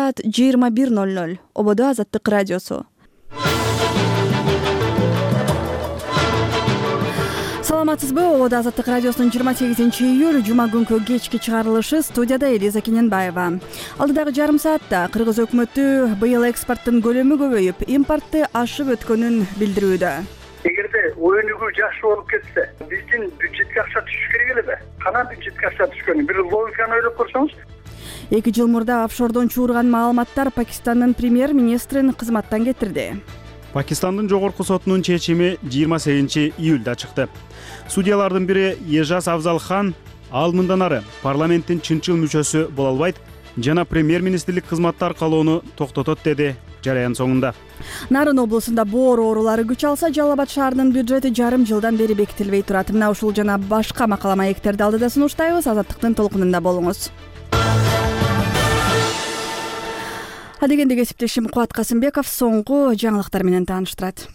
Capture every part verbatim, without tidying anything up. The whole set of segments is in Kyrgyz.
саат жыйырма бир ноль ноль. Ободо Азаттык радиосу. Саламатсызбы? Ободо Азаттык радиосунун жыйырма сегизинчи июль жума күнкү кечки чыгарылышы. Студияда Элиза Кененбаева. Алдыдагы жарым саатта Кыргыз өкмөтү быйыл экспорттун көлөмү көбөйүп, импортты ашып өткөнүн билдирүүдө. Эгерде өнүгүү жакшы болуп кетсе, биздин бюджетке акча түшүш керек эле. Кана бюджетке акча түшкөнү бир логиканы ойлоп көрсөңүз. Эки жыл мурда офшордон чуурган маалыматтар Пакистандын премьер-министрин кызматтан кетирди. Пакистандын жогорку сотунун чечими жыйырма сегизинчи июлда чыкты. Судьялардын бири Ежаз Афзалхан ал мындан ары парламенттин чынчыл мүчөсү боло албайт жана премьер-министрлик кызматты аркалоону токтотот деди жараян соңунда. Нарын облусунда боор оорулары күч алса, Жалал Абад шаарынын бюджети жарым жылдан бери бекитилбей турат. Мына ушул жана башка макала маектерди алдыда сунуштайбыз. Азаттыктын толкунунда болуңуз. Адегенде кесиптешим Кубат Касымбеков соңку жаңылыктар менен тааныштырат.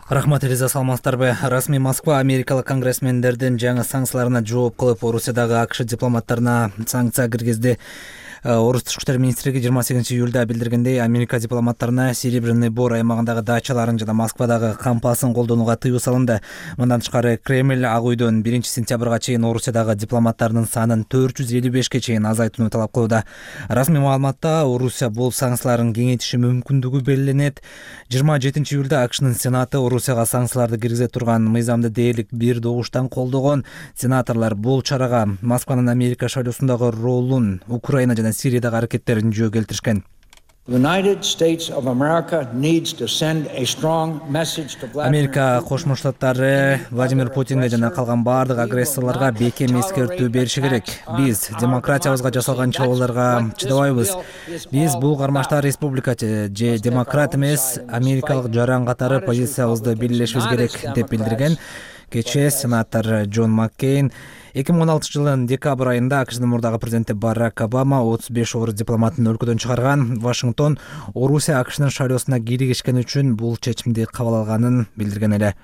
Рахмат, Элиза, саламатсыздарбы? Расмий Москва америкалык конгрессмендердин жаңы санкцияларына жооп кылып, Орусиядагы АКШ дипломаттарына санкция киргизди. Орус тышкы иштер министрлиги жыйырма сегизинчи июлда билдиргендей, Америка дипломаттарына Серебряный Бор аймагындагы дачаларын жана Москвадагы кампасын колдонууга тыюу салынды. Мындан тышкары Кремль Ак үйдөн биринчи сентябрга чейин Орусиядагы дипломаттардын санын төрт жүз элүү бешке чейин азайтууну талап кылууда. Расмий маалыматта Орусия бул санкцияларын кеңейтиши мүмкүндүгү белгиленет. жыйырма жетинчи июлда АКШнын Сенаты Орусияга санкцияларды киргизе турган мыйзамды дээрлик бир добуштан колдогон. Сенаторлор бул чарага Москванын Америка шайлоосундагы ролун, Украина жана Сириядагы аракеттерин жөө келтиришкен. Америка Кошмо Штаттары Владимир Путинге жана калган бардык агрессорлорго бекем эскертүү бериши керек. Биз демократиябызга жасалган чабуулдарга чыдабайбыз. Биз бул кармашта республика же демократ эмес, америкалык жаран катары позициябызды белгилешибиз керек деп билдирген кечээ сенатор Джон Маккейн. эки миң он алтынчы жылдын декабрь айында АКШнын мурдагы президенти Барак Обама отуз беш орус дипломатын өлкөдөн чыгарган. Вашингтон Орусия АКШнын шайлоосуна киргишкен үчүн бул чечимди кабыл алганын билдирген эле.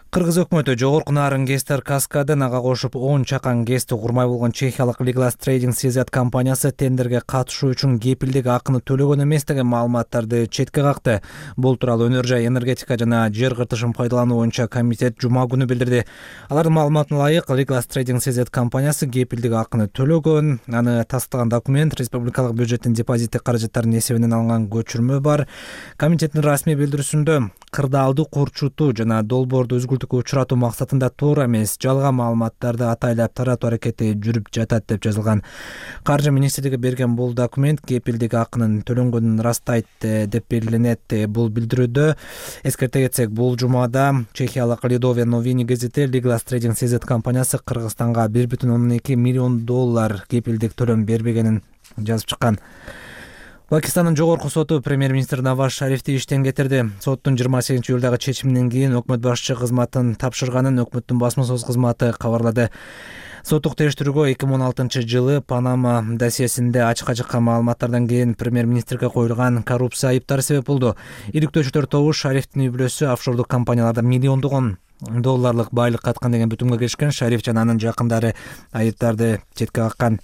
Кыргыз өкмөтү жогорку нарын Гестер Каскадын ага кошуп он чакан гэсти курмай болгон чехиялык Liglas Trading си зет компаниясы тендерге катышуу үчүн кепилдик акыны төлөгөн эмес деген маалыматтарды четке какты. Бул тууралуу Өнөр жай энергетика жана жер кыртышын пайдалануу боюнча комитет жума күнү билдирди. Алардын маалыматына ылайык, Liglas Trading си зет компаниясы кепилдик акыны төлөгөн. Аны тастыган документ республикалык бюджеттин депозиттик каражаттарынын эсебинен алынган көчүрмө бар. Комитеттин расмий билдирүүсүндө кырдаалды курчутуу жана долбоорду үзгүлтүккө учуратуу максатында туура эмес, жалган маалыматтарды атайлап таратуу аракети жүрүп жатат деп жазылган. Каржы министрлиги берген бул документ кепилдик акынын төлөнгөнүн ырастайт деп белгиленет. Бул билдирүүдө эскерте кетсек, бул жумада чехиялык Лидове Новини газети Liglas Trading си зет компаниясы Кыргызстанга бир бүтүн ондон эки миллион доллар кепилдик төлөм бербегенин жазып чыккан. Пакистандын жогорку соту премьер-министр Наваз Шарифти иштен кетирди. Соттун жыйырма сегизинчи июлдагы чечиминен кийин өкмөт башчы кызматын тапшырганын өкмөттүн басма-сөз кызматы кабарлады. Соттук териштирүүгө эки миң он алтынчы жылы Панама досьесинде ачыкка чыккан маалыматтардан кийин премьер-министрге коюлган коррупция айыптары себеп болду. Иликтөөчүлөр тобу Шарифтин үй-бүлөсү офшордук компанияларда миллиондогон долларлык байлык каткан деген бүтүмгө келишкен. Шариф жана анын жакындары айыптарды четке каккан.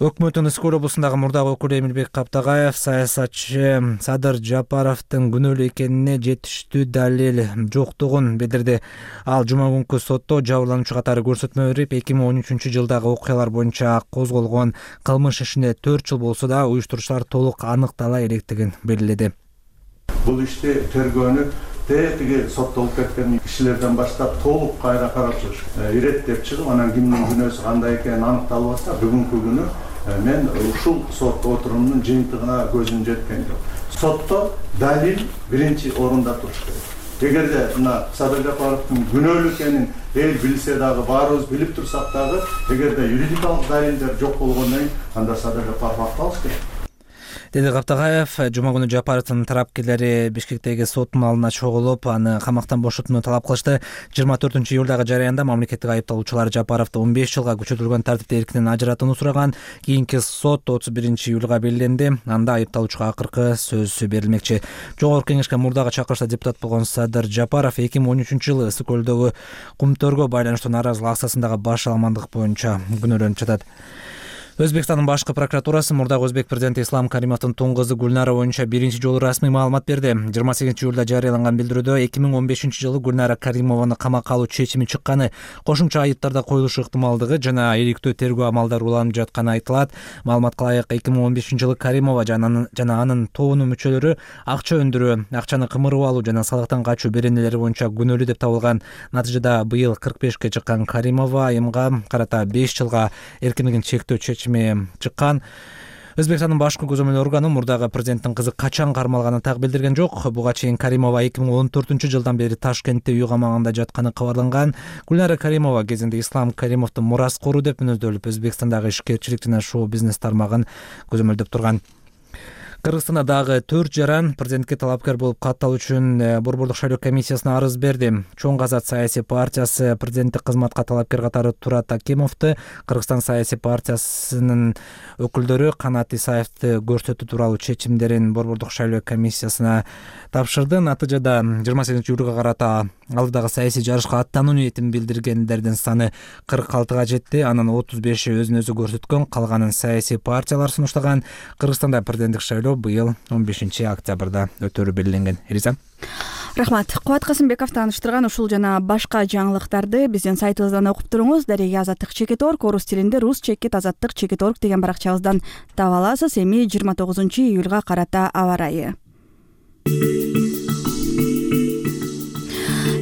Өкмөттүн Ысык-Көл облусундагы мурдагы өкүлү Эмилбек Каптагаев саясатчы Садыр Жапаровдун күнөөлүү экенине жетиштүү далил жоктугун билдирди. Ал жума күнкү сотто жабырлануучу катары көрсөтмө берип, эки миң он үчүнчү жылдагы окуялар боюнча козголгон кылмыш ишине төрт жыл болсо да уюштуруучулар толук аныктала электигин белгиледи. Бул ишти тергөөнү тетиги соттолуп кеткен кишилерден баштап толук кайра карап чыгыш иреттеп чыгып, анан кимдин күнөөсү кандай экени аныкталбаса, бүгүнкү күнү мен ушул сот отурумунун жыйынтыгына көзүм жеткен жок. Сотто далил биринчи орунда туруш керек. Эгерде мына Садыр Жапаровдун күнөөлүү экенин эл билсе дагы, баарыбыз билип турсак дагы, эгерде юридикалык далилдер жок болгондон кийин анда Садыр Жапаров акталыш керек. деди Каптагаев. Жума күнү Жапаровдун тарапкерлери Бишкектеги соттун алдына чогулуп, аны камактан бошотууну талап кылышты. жыйырма төртүнчү июлдагы жараянда мамлекеттик айыпталуучулар Жапаровду он беш жылга күчөтүлгөн тартипте эркинен ажыратууну сураган. Кийинки сот отуз биринчи июлга белгиленди. Анда айыпталуучуга акыркы сөз берилмекчи. Жогорку кеңешке мурдагы чакырышта депутат болгон Садыр Жапаров эки миң он үчүнчү жылы Ысык-Көлдөгү кумтөргө байланыштуу нааразылык акциясындагы баш аламандык боюнча күнөөлөнүп жатат. Өзбекстандын башкы прокуратурасы мурдагы өзбек президенти Ислам Каримовдун тууң кызы Гүлнара боюнча биринчи жолу расмий маалымат берди. жыйырма сегизинчи июлда жарыяланган билдирүүдө эки миң он бешинчи жылы Гүлнара Каримованы камакка алуу чечими чыкканы, кошумча айыптар да коюлушу ыктымалдыгы жана иликтөө тергөө амалдары уланып жатканы айтылат. Маалыматка ылайык эки миң он бешинчи жылы Каримова жана анын тобунун мүчөлөрү акча өндүрүү, акчаны кымырып алуу жана салыктан качуу беренелери боюнча күнөөлүү деп табылган. Натыйжада быйыл кырк бешке чыккан Каримова айымга карата беш жылга эркиндигин чектөө чечими чыккан. Өзбекстандын башкы көзөмөл органы мурдагы президенттин кызы качан кармалганын так билдирген жок. Буга чейин Каримова эки миң он төртүнчү жылдан бери Ташкентте үй камагында жатканы кабарланган. Гүлнара Каримова кезинде Ислам Каримовдун мураскору деп мүнөздөлүп, Өзбекстандагы ишкерчилик жана шоу-бизнес тармагын көзөмөлдөп турган. Кыргызстанда дагы төрт жаран президентке талапкер болуп катталуу үчүн Борбордук шайлоо комиссиясына арыз берди. Чоң Азат саясий партиясы президенттик кызматка талапкер катары Турат Акимовду, Кыргызстан саясий партиясынын өкүлдөрү Канат Исаевди көрсөтүү тууралуу чечимдерин Борбордук шайлоо комиссиясына тапшырды. Натыйжада жыйырма сегизинчи июлга карата алдыдагы саясий жарышка аттануу ниетин билдиргендердин саны кырк алтыга жетти. Анын отуз беши өзүн өзү көрсөткөн, калганын саясий партиялар сунуштаган. Кыргызстанда президенттик шайлоо быйыл он бешинчи октябрда өтөрү белгиленген. Элиза. Рахмат. Кубат Касымбеков тааныштырган ушул жана башка жаңылыктарды биздин сайтыбыздан окуп туруңуз. Дареги Азаттык чекит точка орг, орус тилинде рус чекит азаттык чекит точка орг деген баракчабыздан таба аласыз. Эми жыйырма тогузунчу июлга карата аба ырайы.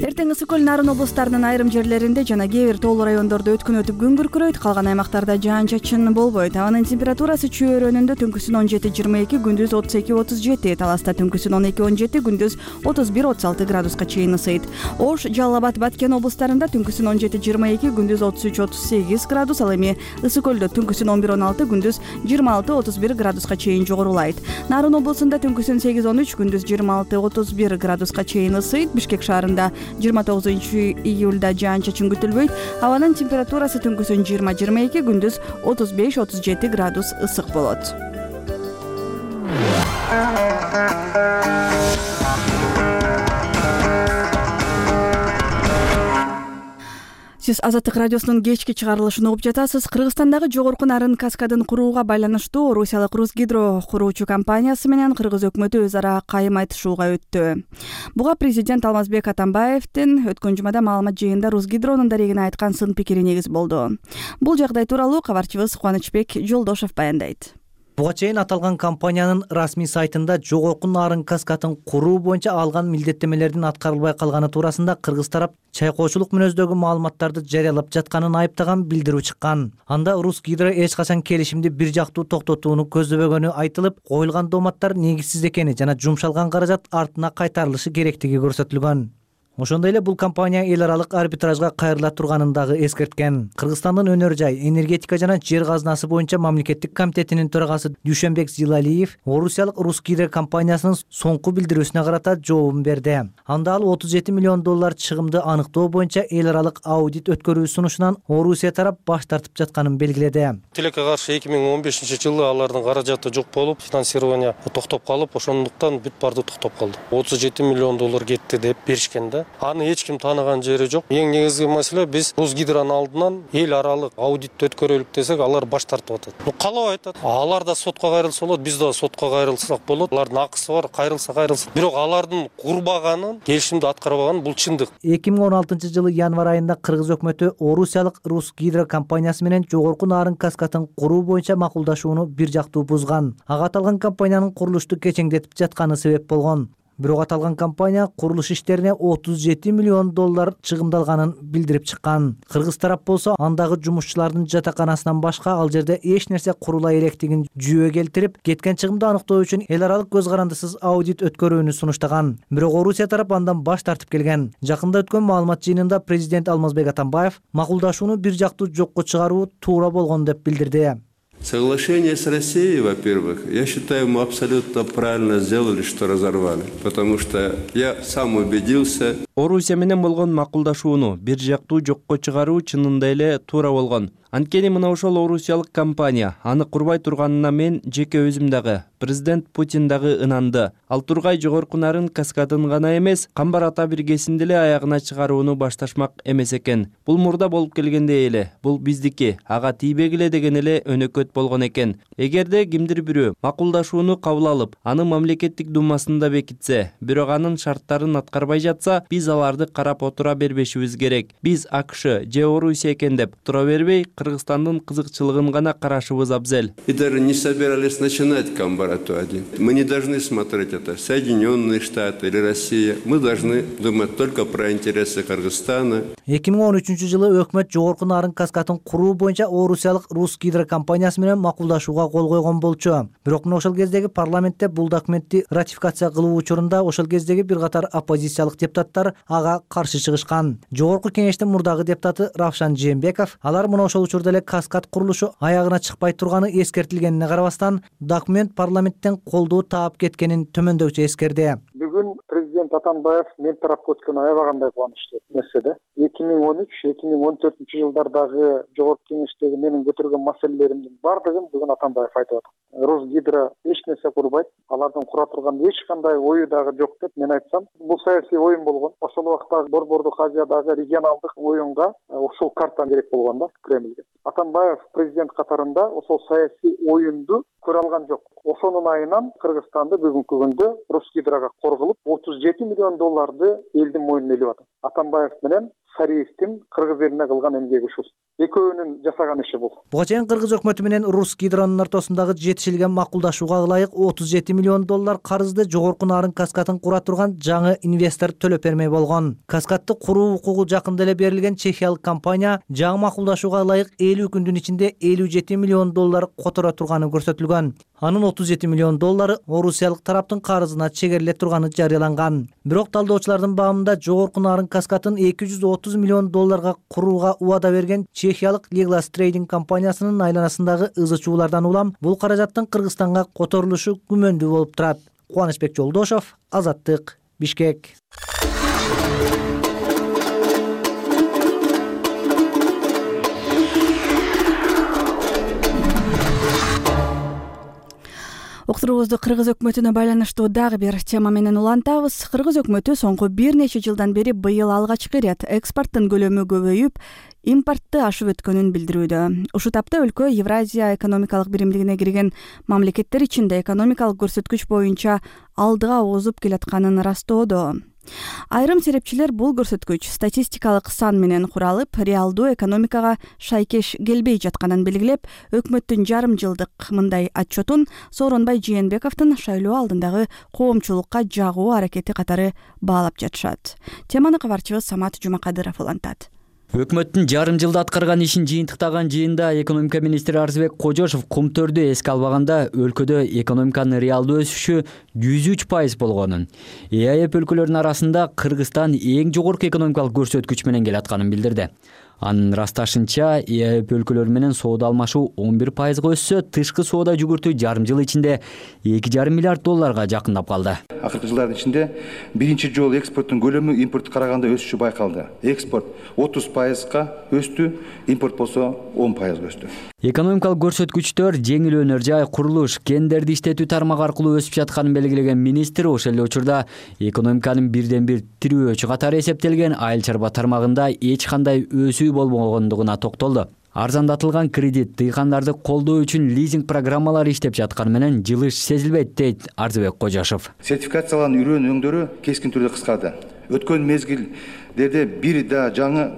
Эртең ысык көл нарын облустарынын айрым жерлеринде жана кээ бир тоолуу райондордо өткөн өтүп күн күркүрөйт, калган аймактарда жаан-чачын болбойт. Абанын температурасы чөйрөнүндө түнкүсүн он жети жыйырма эки, күндүз отуз эки отуз жети, Таласта түнкүсүн он эки он жети, күндүз отуз бир отуз алты градуска чейин ысыйт. Ош, Жалал Абад, Баткен облустарында түнкүсүн он жети жыйырма эки, күндүз отуз үч отуз сегиз градус, ал эми ысык көлдө түнкүсүн он бир он алты, күндүз жыйырма алты отуз бир градуска чейин жогорулайт. Нарын облусунда түнкүсүн сегиз он үч, күндүз жыйырма алты отуз бир градуска чейин ысыйт. Бишкек шаарында жыйырма тогузунчу июлда жаан-чачын күтүлбөйт. Абанын температурасы түнкүсүн жыйырма жыйырма эки, күндүз отуз беш отуз жети градус ысык болот. Сиз Азаттык радиосунун кечки чыгарылышын угуп жатасыз. Кыргызстандагы жогорку нарын каскадын курууга байланыштуу Русиялык Русгидро куруучу компаниясы менен кыргыз өкмөтү өз ара кайым айтышууга өттү. Буга президент Алмазбек Атамбаевдин өткөн жумада маалымат жыйынында Русгидронун дарегине айткан сын пикири негиз болду. Бул жагдай тууралуу кабарчыбыз Кубанычбек Жолдошов баяндайт. Буга чейин аталган компаниянын расмий сайтында жогорку нарын каскатын куруу боюнча алган милдеттемелердин аткарылбай калганы туурасында кыргыз тарап чайкоочулук мүнөздөгү маалыматтарды жарыялап жатканын айыптаган билдирүү чыккан. Анда Русгидро эч качан келишимди бир жактуу токтотууну көздөбөгөнү айтылып, коюлган дооматтар негизсиз экени жана жумшалган каражат артына кайтарылышы керектиги көрсөтүлгөн. Ошондой эле бул компания эл аралык арбитражга кайрыла турганын дагы эскерткен. Кыргызстандын өнөр жай, энергетика жана жер казынасы боюнча мамлекеттик комитетинин төрагасы Дүйшөнбек Зилалиев Орусиялык Русгидро компаниясынын соңку билдирүүсүнө карата жообун берди. Анда ал отуз жети миллион доллар чыгымды аныктоо боюнча эл аралык аудит өткөрүү сунушунан Орусия тарап баш тартып жатканын белгиледи. Тилекке каршы эки миң он бешинчи жылы алардын каражаты жок болуп, финансирование токтоп калып, ошондуктан бүт барды токтоп калды. отуз жети миллион доллар кетти деп беришкен да. Аны эч ким тааныган жери жок. Эң негизги маселе биз Русгидронун алдынан эл аралык аудит өткөрөлүк десек, алар баш тартып атат. Ну калап айтат. Алар да сотко кайрылса болот, биз да сотко кайрылсак болот. Алардын акысы бар, кайрылса кайрылса. Бирок алардын курбаганын, келишимди аткарбаганын бул чындык. эки миң он алтынчы жылы январь айында кыргыз өкмөтү Орусиялык Русгидро компаниясы менен жогорку нарын каскатын куруу боюнча макулдашууну бир жактуу бузган. Ага аталган компаниянын курулушту кечеңдетип жатканы себеп болгон. Бирок аталган компания курулуш иштерине отуз жети миллион доллар чыгымдалганын билдирип чыккан. Кыргыз тарап болсо андагы жумушчулардын жатаканасынан башка ал жерде эч нерсе курула электигин жүйө келтирип, кеткен чыгымды аныктоо үчүн эл аралык көз карандысыз аудит өткөрүүнү сунуштаган. Бирок Орусия тарап андан баш тартып келген. Жакында өткөн маалымат жыйынында президент Алмазбек Атамбаев макулдашууну бир жактуу жокко чыгаруу туура болгон деп билдирди. Соглашение с Россией, во-первых, я считаю, мы абсолютно правильно сделали, что разорвали. Потому что я сам убедился, Орусия менен болгон макулдашууну бир жактуу жокко чыгаруу чынында эле туура болгон. Анткени мына ошол орусиялык компания аны курбай турганына мен жеке өзүм дагы, президент Путин дагы ынанды. Ал Тургай жогорку нарын каскадын гана эмес, Камбар ата биргесинди эле аягына чыгарууну башташмак эмес экен. Бул мурда болуп келгендей эле, бул биздики, ага тийбегиле деген эле өнөкөт болгон экен. Эгерде кимдир бирөө макулдашууну кабыл алып, аны мамлекеттик думасында бекитсе, бирок анын шарттарын аткарбай жатса, биз аларды карап отура бербешибиз керек. Биз АКШ же Орусия экен деп тура бербей, Кыргызстандын кызыкчылыгын гана карашыбыз абзел. И даже не собирались начинать Камбар-ату один. Мы не должны смотреть это Соединенные Штаты или Россия. Мы должны думать только про интересы Кыргызстана. эки миң он үчүнчү жылы өкмөт жогорку нарын каскатын куруу боюнча орусиялык Русгидро компаниясы менен макулдашууга кол койгон болчу. Бирок мына ошол кездеги парламентте бул документти ратификация кылуу учурунда ошол кездеги бир катар оппозициялык депутаттар ага каршы чыгышкан. Жогорку кеңештин мурдагы депутаты Равшан Жээнбеков алар мына ошол учурда эле каскад курулушу аягына чыкпай турганы эскертилгенине карабастан, документ парламенттен колдоо таап кеткенин төмөндөкчө эскерди. Бүгүн президент Атамбаев мен тарапка өткөнү аябагандай кубанычтуу нерседе. эки миң он үч эки миң он төртүнчү жылдардагы жогорку кеңештеги менин көтөргөн маселелеримдин бардыгын бүгүн Атамбаев айтып атат. Русгидро эч нерсе курбайт, алардын кура турган эч кандай ою дагы жок деп мен айтсам, бул саясий оюн болгон. Ошол убакта Борбордук Азиядагы регионалдык оюнга ушул карта керек болгон да Кремльге. Атамбаев президент катарында ошол саясий оюнду көрө алган жок. Ошонун айынан Кыргызстанды бүгүнкү күндө Русгидрога корголуп отуз жети миллион долларды элдин мойнуна илип атат. Атамбаев менен Сариевдин Кыргыз элине кылган эмгеги ушул. Экөөнүн жасаган иши бул. Буга чейин Кыргыз өкмөтү менен Русгидронун ортосундагы жетишилген макулдашууга ылайык отуз жети миллион доллар карызды жогорку нарын каскатын кура турган жаңы инвестор төлөп бермей болгон. Каскатты куруу укугу жакында эле берилген чехиялык компания жаңы макулдашууга ылайык элүү күндүн ичинде элүү жети миллион доллар которо турганы көрсөтүлгөн. Анын отуз жети миллион доллары орусиялык тараптын карызына чегериле турганы жарыяланган. Бирок талдоочулардын баамында жогорку нарын каскатын эки жүз отуз миллион долларга курууга убада берген чехиялык Liglas Trading компаниясынын айланасындагы ызы чуулардан улам бул каражаттын Кыргызстанга которулушу күмөндүү болуп турат. Кубанычбек Жолдошов, Азаттык, Бишкек. Уктуруубузду Кыргыз өкмөтүнө байланыштуу дагы бир тема менен улантабыз. Кыргыз өкмөтү соңку бир нече жылдан бери быйыл алгачкы ирет экспорттун көлөмү көбөйүп, импортты ашып өткөнүн билдирүүдө. Ушул тапта өлкө Евразия экономикалык биримдигине кирген мамлекеттер ичинде экономикалык көрсөткүч боюнча алдыга озуп келатканын ырастоодо. Айрым серепчилер бул көрсөткүч статистикалык сан менен куралып, реалдуу экономикага шайкеш келбей жатканын белгилеп, өкмөттүн жарым жылдык мындай отчетун Сооронбай Жээнбековдун шайлоо алдындагы коомчулукка жагуу аракети катары баалап жатышат. Теманы кабарчыбыз Самат Жумакадыров улантат. Өкмөттүн жарым жылда аткарган ишин жыйынтыктаган жыйында экономика министри Арзыбек Кожошов Кумтөрдү эске албаганда өлкөдө экономиканын реалдуу өсүшү жүз үч пайыз болгонун, ЭАЭП өлкөлөрүнүн арасында Кыргызстан эң жогорку экономикалык көрсөткүч менен келатканын билдирди. Анын ырасташынча, ЭАЭП өлкөлөрү менен соода алмашуу он бир пайызга өссө, тышкы соода жүгүртүү жарым жыл ичинде эки жарым миллиард долларга жакындап калды. Акыркы жылдардын ичинде биринчи жолу экспорттун көлөмү импортко караганда өсүшү байкалды. Экспорт отуз пайызга өстү, импорт болсо он пайызга өстү. Экономикалык көрсөткүчтөр жеңил өнөр жай, курулуш, кендерди иштетүү тармагы аркылуу өсүп жатканын белгилеген министр ошол эле учурда экономиканын бирден бир тирөөчү катары эсептелген айыл чарба тармагында эч кандай өсүү болбогондугуна токтолду. Арзандатылган кредит, дыйкандарды колдоо үчүн лизинг программалары иштеп жатканы менен жылыш сезилбейт, дейт Арзыбек Кожошов. Сертификациялануу үрөн өңдөрү кескин түрдө кыскарды. Өткөн мезгилдерде бир да жаңы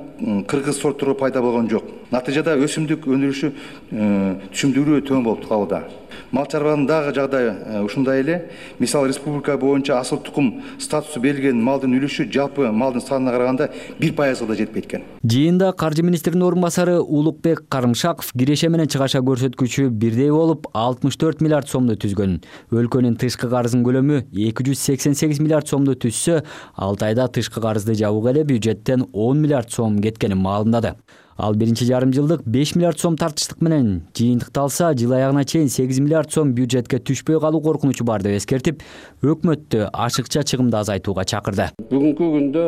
кыргыз сорттору пайда болгон жок. Натыйжада өсүмдүк өндүрүшү түшүмдүүлүгү төмөн болуп калууда. Мал чарбанын дагы жагдайы ушундай эле. Мисалы республика боюнча асыл тукум статусу берилген малдын үлүшү жалпы малдын санына караганда бир пайызга да жетпейт экен. Жыйында каржы министринин орун басары Улукбек Карымшаков киреше менен чыгаша көрсөткүчү бирдей болуп алтымыш төрт миллиард сомду түзгөн. Өлкөнүн тышкы карызынын көлөмү эки жүз сексен сегиз миллиард сомду түзсө, алты айда тышкы карызды жабууга эле бюджеттен он миллиард сом кеткенин маалымдады. Ал биринчи жарым жылдык беш миллиард сом тартыштык менен жыйынтыкталса, жыл аягына чейин сегиз миллиард сом бюджетке түшпөй калуу коркунучу бар деп эскертип, өкмөттү ашыкча чыгымды азайтууга чакырды. Бүгүнкү күндө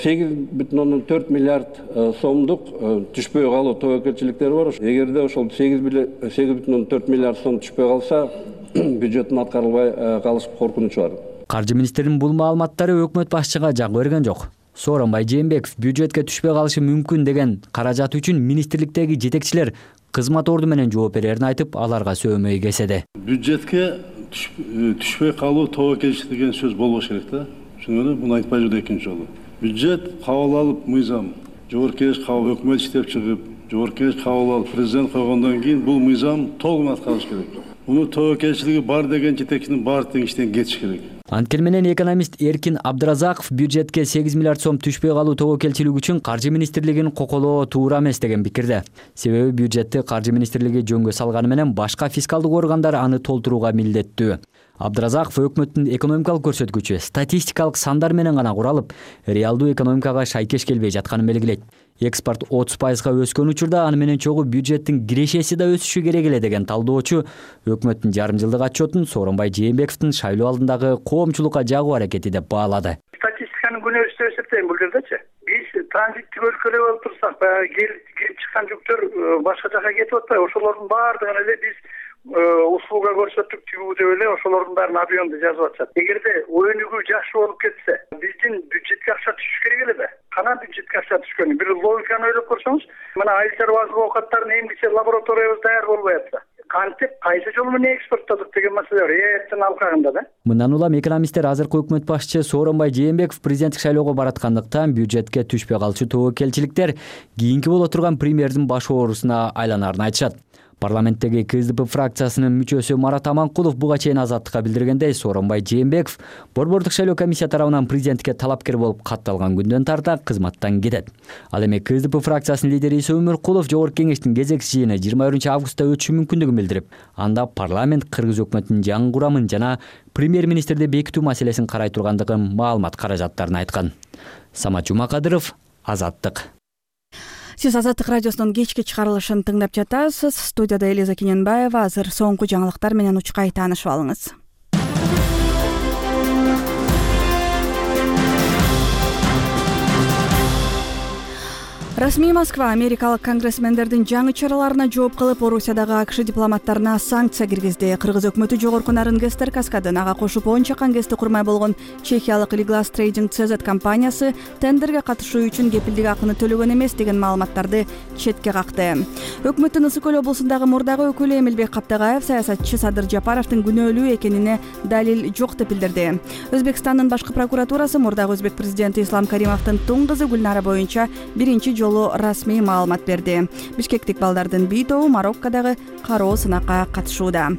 сегиз бүтүн ондон төрт миллиард сомдук түшпөй калуу тобокелчиликтери бар. Эгерде ошол сегиз бүтүн ондон төрт миллиард сом түшпөй калса, бюджеттин аткарылбай калыш коркунучу бар. Каржы министринин бул маалыматтары өкмөт башчыга жак берген жок. Сооронбай Жээнбеков бюджетке түшпөй калышы мүмкүн деген каражат үчүн министрликтеги жетекчилер кызмат орду менен жооп берерин айтып, аларга сөймөй кеседи. Бюджетке түшпөй калуу тобокелчилик деген сөз болбош керек да. Шуну муну айтпай жүрдү экинчи жолу. Бюджет кабыл алып мыйзам, жогорку кеңеш кабыл өкмөт иштеп чыгып, жогорку кеңеш кабыл алып президент койгондон кийин бул мыйзам толугун аткарыш керек. Муну тобокелчилиги бар деген жетекчинин баары тең иштен кетиш керек. Анткени менен экономист Эркин Абдыразаков бюджетке сегиз миллиард сом түшпөй калуу тобокелчилиги үчүн Каржы министрлигин коколоо туура эмес деген пикирде. Себеби бюджетти Каржы министрлиги жөнгө салганы менен башка фискалдык органдар аны толтурууга милдеттүү. Абдыразаков өкмөттүн экономикалык көрсөткүчү статистикалык сандар менен гана куралып, реалдуу экономикага шайкеш келбей жатканын белгилейт. Экспорт отуз пайызга өскөн учурда аны менен чогуу бюджеттин кирешеси да өсүшү керек эле деген талдоочу өкмөттүн жарым жылдык отчетун Сооронбай Жээнбековдун шайлоо алдындагы коомчулукка жагуу аракети деп баалады. Статистиканын күнөөсү деп эсептейм бул жердечи. Биз транзиттик өлкөлөр болуп турсак, баягы келип чыккан жүктөр башка жака кетип атпайбы? Ошолордун баардыгын эле биз услуга көрсөттүк тигүү деп эле ошолордун баарын объемду жазып атышат. Эгерде өнүгүү жакшы болуп кетсе, биздин бюджетке акча түшүш керек эле. Кана бюджетке акча түшкөн? Бир логиканы ойлоп көрсөңүз, мына айыл чарбалык оокаттарын эмгиче лабораториябыз даяр болбой атса, кантип кайсы жол менен экспорттодук деген маселе бар. Эптин алкагында да. Мындан улам экономисттер азыркы өкмөт башчысы Сооронбай Жээнбеков президенттик шайлоого бараткандыктан бюджетке түшпөй калчу тобокелчиликтер кийинки боло турган премьердин баш оорусуна айланарын айтышат. Парламенттеги КСДП фракциясынын мүчөсү Марат Аманкулов буга чейин Азаттыкка билдиргендей, Сооронбай Жээнбеков Борбордук шайлоо комиссия тарабынан президентке талапкер болуп катталган күндөн тарта кызматтан кетет. Ал эми КСДП фракциясынын лидери Иса Өмөркулов жогорку кеңештин кезекчи жыйыны жыйырма биринчи августта өтүшү мүмкүндүгүн билдирип, анда парламент кыргыз өкмөтүнүн жаңы курамын жана премьер-министрди бекитүү маселесин карай тургандыгын маалымат каражаттарын айткан. Самат Жумакадыров, Азаттык. Сиз Азаттык радиосунун кечки чыгарылышын тыңдап жатасыз. Студияда Элиза Кененбаева. Азыр соңку жаңылыктар менен учкай таанышып алыңыз. Расмий Москва америкалык конгрессмендердин жаңы чараларына жооп кылып, Орусиядагы АКШ дипломаттарына санкция киргизди. Кыргыз өкмөтү жогорку нарын Гестер каскадын ага кошуп он чакан гезди курмай болгон чехиялык Liglas Trading си зет компаниясы тендерге катышуу үчүн кепилдик акыны төлөгөн эмес деген маалыматтарды четке какты. Өкмөттүн Ысык Көл облусундагы мурдагы өкүлү Эмилбек Каптагаев саясатчы Садыр Жапаровдун күнөөлүү экенине далил жок деп билдирди. Өзбекстандын башкы прокуратурасы мурдагы өзбек президенти Ислам Каримовдун туң кызы Гүлнара боюнча биринчи жолу расмий маалымат берди. Бишкектик балдардын бир тобу Мароккодагы кароо сынакка катышууда.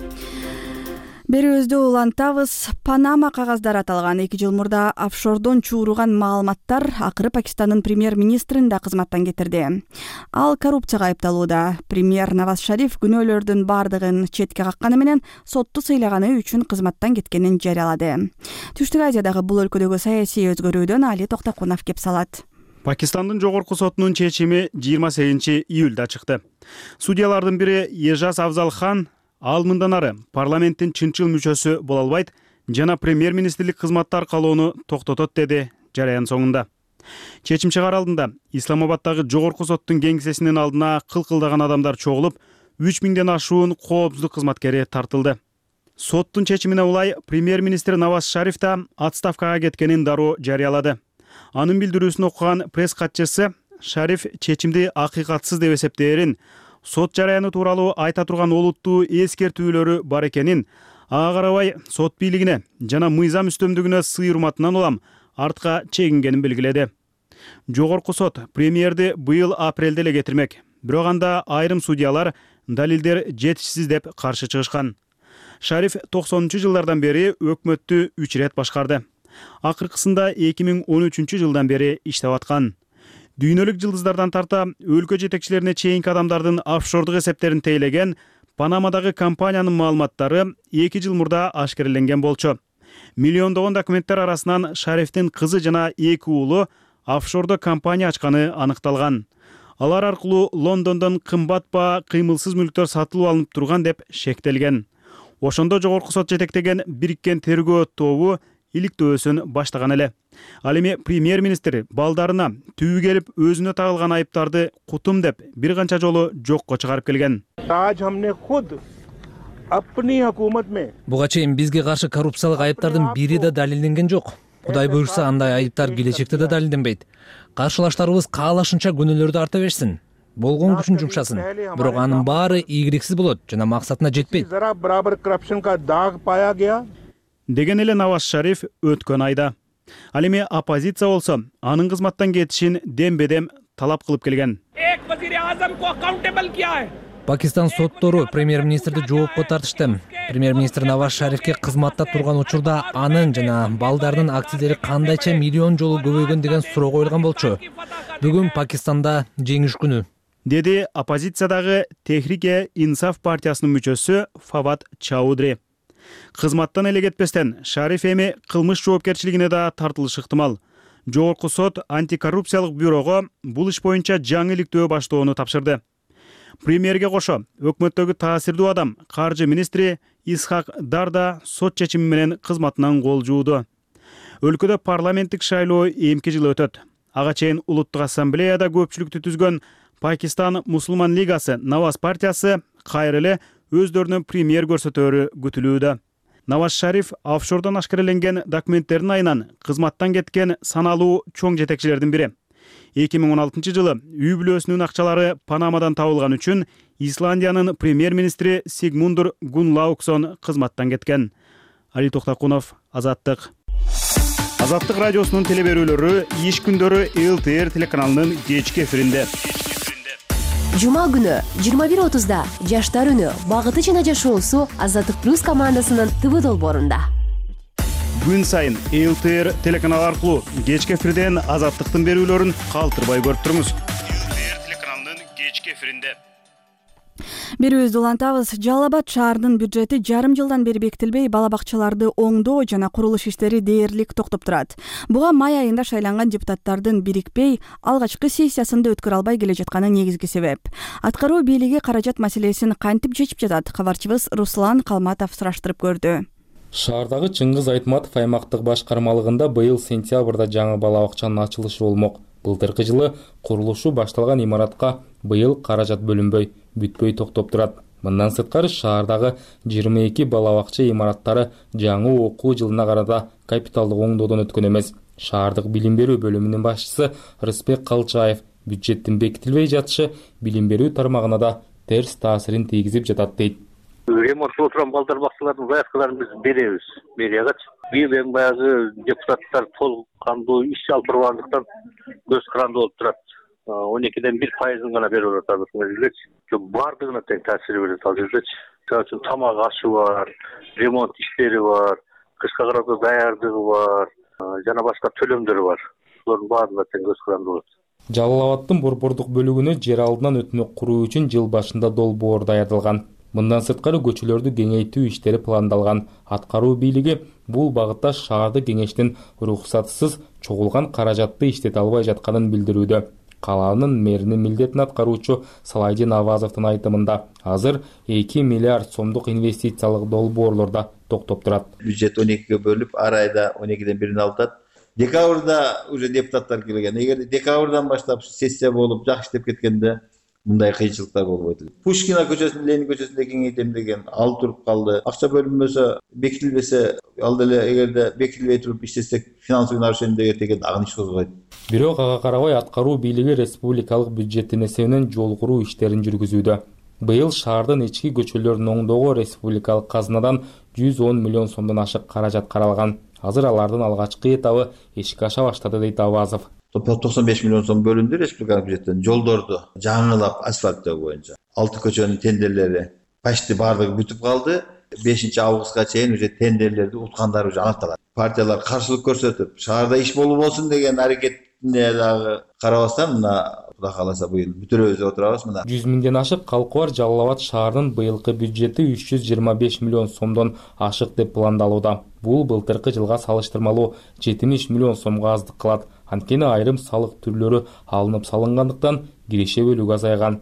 Берүүбүздү улантабыз. Панама кагаздары аталган эки жыл мурда офшордон чууруган маалыматтар акыры Пакистандын премьер-министрин да кызматтан кетирди. Ал коррупцияга айыпталууда. Премьер Наваз Шариф күнөөлөрдүн бардыгын четке какканы менен сотту сыйлаганы үчүн кызматтан кеткенин жарыялады. Түштүк Азиядагы бул өлкөдөгү саясий өзгөрүүдөн Али Токтокунов кеп салат. Пакистандын жогорку сотунун чечими жыйырма сегизинчи июлда чыкты. Судьялардын бири Ежаз Авзалхан ал мындан ары парламенттин чынчыл мүчөсү боло албайт жана премьер-министрлик кызматты аркалоону токтотот деди жараян соңунда. Чечим чыгаар алдында Исламабаддагы жогорку соттун кеңсесинин алдына кылкылдаган адамдар чогулуп, үч миңден ашуун коопсуздук кызматкери тартылды. Соттун чечимине улай премьер-министр Наваз Шариф да отставкага кеткенин дароо жарыялады. Анын билдирүүсүн окуган пресс катчысы Шариф чечимди акыйкатсыз деп эсептээрин, сот жараяны тууралуу айта турган олуттуу эскертүүлөрү бар экенин, ага карабай сот бийлигине жана мыйзам үстөмдүгүнө сый урматынан улам артка чегингенин белгиледи. Жогорку сот премьерди быйыл апрелде эле кетирмек, бирок анда айрым судьялар далилдер жетишсиз деп каршы чыгышкан. Шариф токсонунчу жылдардан бери өкмөттү үч ирет башкарды. Акыркысында эки миң он үчүнчү жылдан бери иштеп аткан. Дүйнөлүк жылдыздардан тарта өлкө жетекчилерине чейинки адамдардын офшордук эсептерин тейлеген Панамадагы компаниянын маалыматтары эки жыл мурда ашкереленген болчу. Миллиондогон документтер арасынан Шарифтин кызы жана эки уулу офшордо компания ачканы аныкталган. Алар аркылуу Лондондон кымбат баа кыймылсыз мүлктөр сатылып алынып турган деп шектелген. Ошондо жогорку сот жетектеген бириккен тергөө тобу иликтөөсүн баштаган эле. Ал эми премьер-министр балдарына түбү келип өзүнө тагылган айыптарды кутум деп бир канча жолу жокко чыгарып келген. Буга чейин бизге каршы коррупциялык айыптардын бири да далилденген жок. Кудай буйрса андай айыптар келечекте да далилденбейт. Каршылаштарыбыз каалашынча күнөөлөрдү арта берсин. Болгон күчүн жумшасын. Бирок анын баары ийгиликсиз болот жана максатына жетпейт. Деген эле Наваз Шариф өткөн айда. Ал эми оппозиция болсо анын кызматтан кетишин дембедем талап кылып келген. Пакистан соттору премьер-министрди жоопко тартышты. Премьер-министр Наваз Шарифке кызматта турган учурда анын жана балдарынын активдери кандайча миллион жолу көбөйгөн деген суроо коюлган болчу. Бүгүн Пакистанда жеңиш күнү, деди оппозициядагы Техрике Инсаф партиясынын мүчөсү Фавад Чаудри. Кызматтан эле кетпестен Шариф эми кылмыш жоопкерчилигине да тартылышы ыктымал. Жогорку сот антикоррупциялык бюрого бул иш боюнча жаңы иликтөө баштоону тапшырды. Премьерге кошо өкмөттөгү таасирдүү адам каржы министри Исхак Дар да сот чечими менен кызматынан кол жууду. Өлкөдө парламенттик шайлоо эмки жылы өтөт. Ага чейин улуттук ассамблеяда көпчүлүктү түзгөн Пакистан Мусулман лигасы Наваз партиясы кайра эле өздөрүнүн премьер көрсөтөөрү күтүлүүдө. Наваз Шариф офшордон ашкареленген документтердин айынан кызматтан кеткен саналуу чоң жетекчилердин бири. эки миң он алтынчы жылы үй бүлөсүнүн акчалары Панамадан табылган үчүн Исландиянын премьер-министри Сигмундур Гунлауксон кызматтан кеткен. Али Токтакунов, Азаттык. Азаттык радиосунун телеберүүлөрү иш күндөрү эл тэ эр телеканалынын кечки эфиринде. Жума күнү жыйырма бир отузда Жаштар үнү багыты жана жашоосу Азаттык плюс командасынын ТВ долбоорунда. Күн сайын эл тэ эр телеканалы аркылуу кечки эфирден Азаттыктын берүүлөрүн калтырбай көрүп туруңуз. эл тэ эр телеканалынын кечки эфиринде. Берүүбүздү улантабыз. Жалал Абад шаарынын бюджети жарым жылдан бери бекитилбей, бала бакчаларды оңдоо жана курулуш иштери дээрлик токтоп турат. Буга май айында шайланган депутаттардын бирикпей, алгачкы сессиясында өткөрө албай келе жатканы негизги себеп. Аткаруу бийлиги каражат маселесин кантип чечип жатат? Кабарчыбыз Руслан Калматов сураштырып көрдү. Шаардагы Чыңгыз Айтматов аймактык башкармалыгында быйыл сентябрда жаңы бала бакчанын ачылышы болмок. Былтыркы жылы курулушу башталган имаратка быйыл каражат бөлүнбөй, бүтпөй токтоп турат. Мындан сырткары шаардагы жыйырма эки бала бакча имараттары жаңы окуу жылына карата капиталдык оңдоодон өткөн эмес. Шаардык билим берүү бөлүмүнүн башчысы Рыспек Калчаев бюджеттин бекитилбей жатышы билим берүү тармагына да терс таасирин тийгизип жатат дейт. Ремонтко отурган балдар бакчалардын заявкаларын биз беребиз мэриягачы. Бир эң баягы депутаттар толук кандуу иш алып тургандыктан көз каранды болуп турат. он экиден бир пайызын гана берип атабыз мезгилдечи. Бардыгына тең таасир берет ал жердечи. Мисалы үчүн тамак ашы бар, ремонт иштери бар, кышка карата даярдыгы бар, жана башка төлөмдөр бар. Булардын баарына тең көз каранды болот. Жалал Абадтын борбордук бөлүгүнө жер алдынан өтмөк куруу үчүн жыл башында долбоор даярдалган. Мындан сырткары көчөлөрдү кеңейтүү иштери пландалган. Аткаруу бийлиги бул багытта шаарды кеңештин уруксатсыз чогулган каражатты иштете албай жатканын билдирүүдө. Калаанын мэринин милдетин аткаруучу Салайдин Авазовдун айтымында азыр эки миллиард сомдук инвестициялык долбоорлорда токтоп турат. Бюджет он экиге бөлүп, ар айда он экиден бирин алып. Декабрда уже депутаттар келген. Эгер декабрдан баштап сессия болуп жакшы иштеп кеткенде мындай кыйынчылыктар болбойт. Пушкина көчөсүн Ленин көчөсүндө кеңейтем деген ал туруп калды. Акча бөлүнбөсө, бекитилбесе, ал деле эгерде бекитилбей туруп иштесек, финансовый нарушение деген деген агын иш козгойт. Бирок ага карабай аткаруу бийлиги республикалык бюджеттин эсебинен жол куруу иштерин жүргүзүүдө. Быйыл шаардын ички көчөлөрүн оңдоого республикалык казынадан жүз он миллион сомдон ашык каражат каралган. Азыр алардын алгачкы этабы ишке аша баштады дейт Авазов. токсон беш миллион сом бөлүндү республикалык бюджеттен жолдорду жаңылап асфальттоо боюнча. Алты көчөнүн тендерлери почти бардыгы бүтүп калды. бешинчи августка чейин уже тендерлерди уткандары уже аныкталат. Партиялар каршылык көрсөтүп, шаарда иш болуп болсун деген аракетине дагы карабастан мына Кудай кааласа быйыл бүтүрөбүз деп отурабыз мына. жүз миңден ашык калкы бар Жалал Абад шаарынын быйылкы бюджети үч жүз жыйырма беш миллион сомдон ашык деп пландалууда. Бул былтыркы жылга салыштырмалуу жетимиш миллион сомго аздык кылат. Анткени айрым салык түрлөрү алынып салынгандыктан киреше бөлүгү азайган.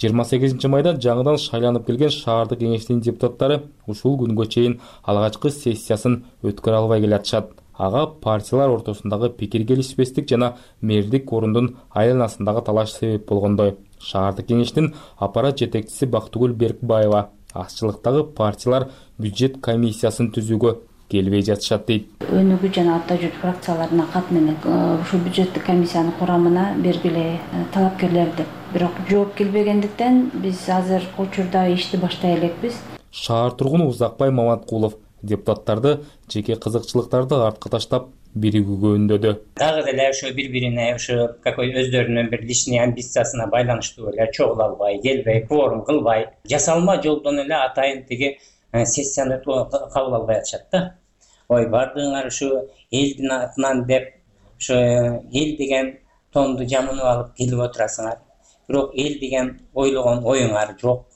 жыйырма сегизинчи майда жаңыдан шайланып келген шаардык кеңештин депутаттары ушул күнгө чейин алгачкы сессиясын өткөрө албай келатышат. Ага партиялар ортосундагы пикир келишпестик жана мэрдик орундун айланасындагы талаш себеп болгондой. Шаардык кеңештин аппарат жетекчиси Бактыгүл Беркбаева азчылыктагы партиялар бюджет комиссиясын түзүүгө келбей жатышат дейт. Өнүгүү жана ата жүк фракцияларына катнап ушул бюджеттик комиссиянын курамына бергиле талапкерлерди. Бирок жооп келбегендиктен биз азыр учурда ишти баштай элекпиз. Шаар тургуну Узакбай Маматкулов депутаттарды жеке кызыкчылыктарды артка таштап биригүүгө үндөдү. Дагы деле ошо бири-бирине ошо какой өздөрүнүн бир личный амбициясына байланыштуу эле чогула албай, келбей, кворум кылбай, жасалма жолдон эле атайын тиги сессияны кабыл албай атышат да. Ой, бардыңар ушу элдин атынан деп, ошо эл деген тонду жамынып алып келип отурасыңар. Бирок эл деген ойлогон оюңар жок.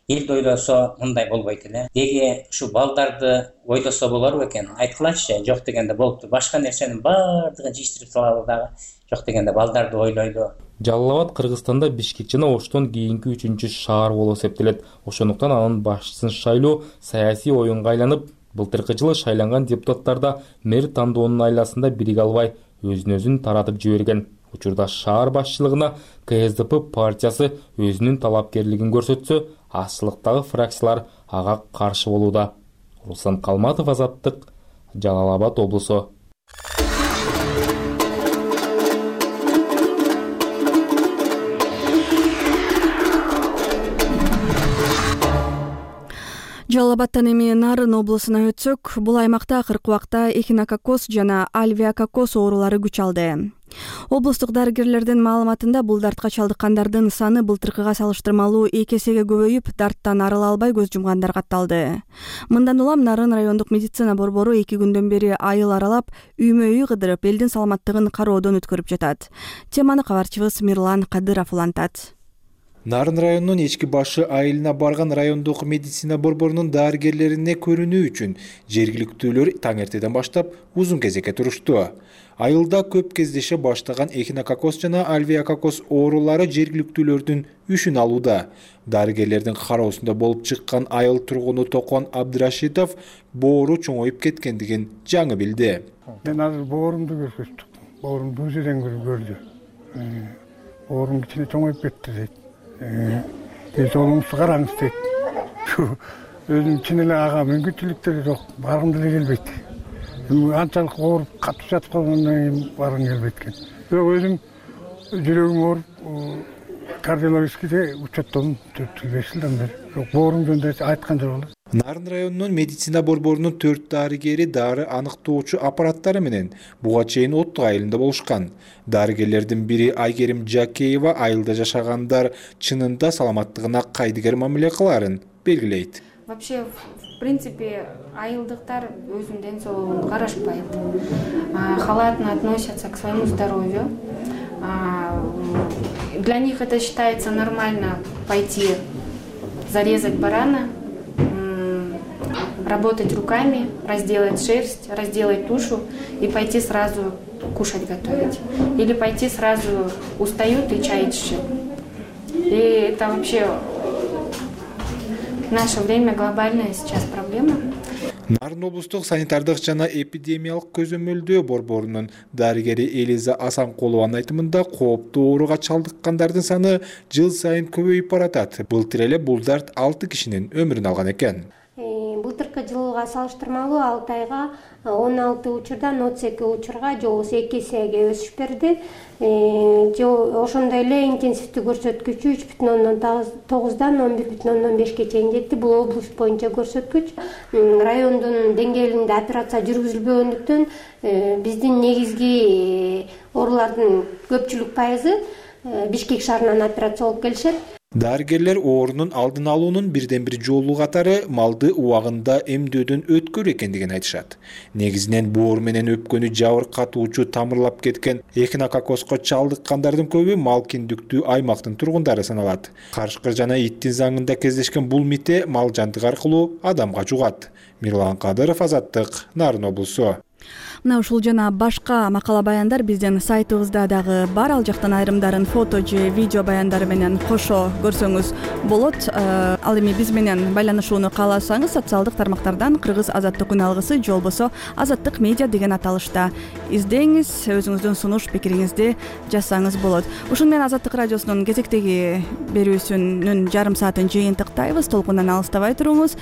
Элди ойлосо мындай болбойт эле. Деги ушу балдарды ойлосо болор экен. Айткылачы, жок дегенде болупту. Башка нерсенин баардыгын жыйыштырып салалы дагы. Жок дегенде балдарды ойлойлу. Жалал Абад Кыргызстанда Бишкек жана Оштон кийинки үчүнчү шаар болуп эсептелет. Ошондуктан анын башчысын шайлоо саясий оюнга айланып, былтыркы жылы шайланган депутаттарда мэр тандоонун айласында бириге албай өзүн-өзүн таратып жиберген. Учурда шаар башчылыгына ка эс дэ пэ партиясы өзүнүн талапкерлигин көрсөтсө, азчылыктагы фракциялар ага каршы болууда. Руслан Калматов, Азаттык, Жалал Абад облусу. Жалал Абадтан эми Нарын облусуна өтсөк, бул аймакта акыркы убакта эхинококкоз жана альвеококкоз оорулары күч алды. Облустук дарыгерлердин маалыматында бул дартка чалдыккандардын саны былтыркыга салыштырмалуу эки эсеге көбөйүп, дарттан арыла албай көз жумгандар катталды. Мындан улам Нарын райондук медицина борбору эки күндөн бери айыл аралап, үймө-үй кыдырып, элдин саламаттыгын кароодон өткөрүп жатат. Теманы кабарчыбыз Мирлан Кадыров улантат. Нарын районунун ички башы айылына барган райондук медицина борборунун дарыгерлерине көрүнүү үчүн жергиликтүүлөр таң эртеден баштап узун кезекке турушту. Айылда көп кездеше баштаган эхинококкоз жана альвеококкоз оорулары жергиликтүүлөрдүн үшүн алууда. Дарыгерлердин кароосунда болуп чыккан айыл тургуну Токон Абдырашитов боору чоңоюп кеткендигин жаңы билди. Мен азыр боорумду көрсөттүм. Боорум бул жерден көрдү. Боорум кичине чоңоюп кетти дейт. Тез жолуңузду караңыз дейт. Өзүм чын эле ага мүмкүнчүлүктөрү жок, баргым деле келбейт. Анчалык ооруп катып жатып калгандан кийин баргым келбейт экен. Бирок өзүм жүрөгүм ооруп, кардиологическийде учеттодум төрт жыл беш жылдан бери. Бирок боорум жөнүндө айткан жок эле. Нарын районунун медицина борборунун төрт дарыгери дары аныктоочу аппараттары менен буга чейин оттук айылында болушкан. Дарыгерлердин бири Айгерим Жакеева айылда жашагандар чынында саламаттыгына кайдыгер мамиле кыларын белгилейт. Вообще, в принципе, айылдыктар өзүнүн ден соолугун карашпайт. Халатно относятся к своему здоровью. Для них это считается нормально пойти зарезать барана, работать руками, разделать шерсть, разделать тушу и пойти сразу кушать готовить. Или пойти сразу устают и чай чешут. И это вообще в наше время глобальная сейчас проблема. Нарын облустук санитардык жана эпидемиялык көзөмөлдөө борборунун дарыгери Элиза Асанкулованын айтымында кооптуу ооруга чалдыккандардын саны жыл сайын көбөйүп баратат. Былтыр эле бул дарт алты кишинин өмүрүн алган экен. Былтыркы жылга салыштырмалуу алты айга он алты учурдан отуз эки учурга же болбосо эки эсеге өсүш берди. Ошондой эле интенсивдүү көрсөткүчү үч бүтүн ондон тогуздан он бир бүтүн ондон бешке чейин жетти. Бул область боюнча көрсөткүч. Райондун деңгээлинде операция жүргүзүлбөгөндүктөн биздин негизги оорулардын көпчүлүк пайызы Бишкек шаарынан операция болуп келишет. Дарыгерлер оорунун алдын алуунун бирден бир жолу катары малды убагында эмдөөдөн өткөрүү экендигин айтышат. Негизинен боор менен өпкөнү жабыркатуучу тамырлап кеткен эхинококкозго чалдыккандардын көбү мал киндиктүү аймактын тургундары саналат. Карышкыр жана иттин заңында кездешкен бул мите мал жандык аркылуу адамга жугат. Мирлан Кадыров, Азаттык, Нарын облусу. мына ушул жана башка макала баяндар биздин сайтыбызда дагы бар. Ал жактан айрымдарын фото же видео баяндары менен кошо көрсөңүз болот. Ал эми биз менен байланышууну кааласаңыз социалдык тармактардан Кыргыз Азаттык үн алгысы же болбосо Азаттык медиа деген аталышта издеңиз, өзүңүздүн сунуш пикириңизди жазсаңыз болот. Ушун менен Азаттык радиосунун кезектеги берүүсүнүн жарым саатын жыйынтыктайбыз. Толкундан алыстабай туруңуз.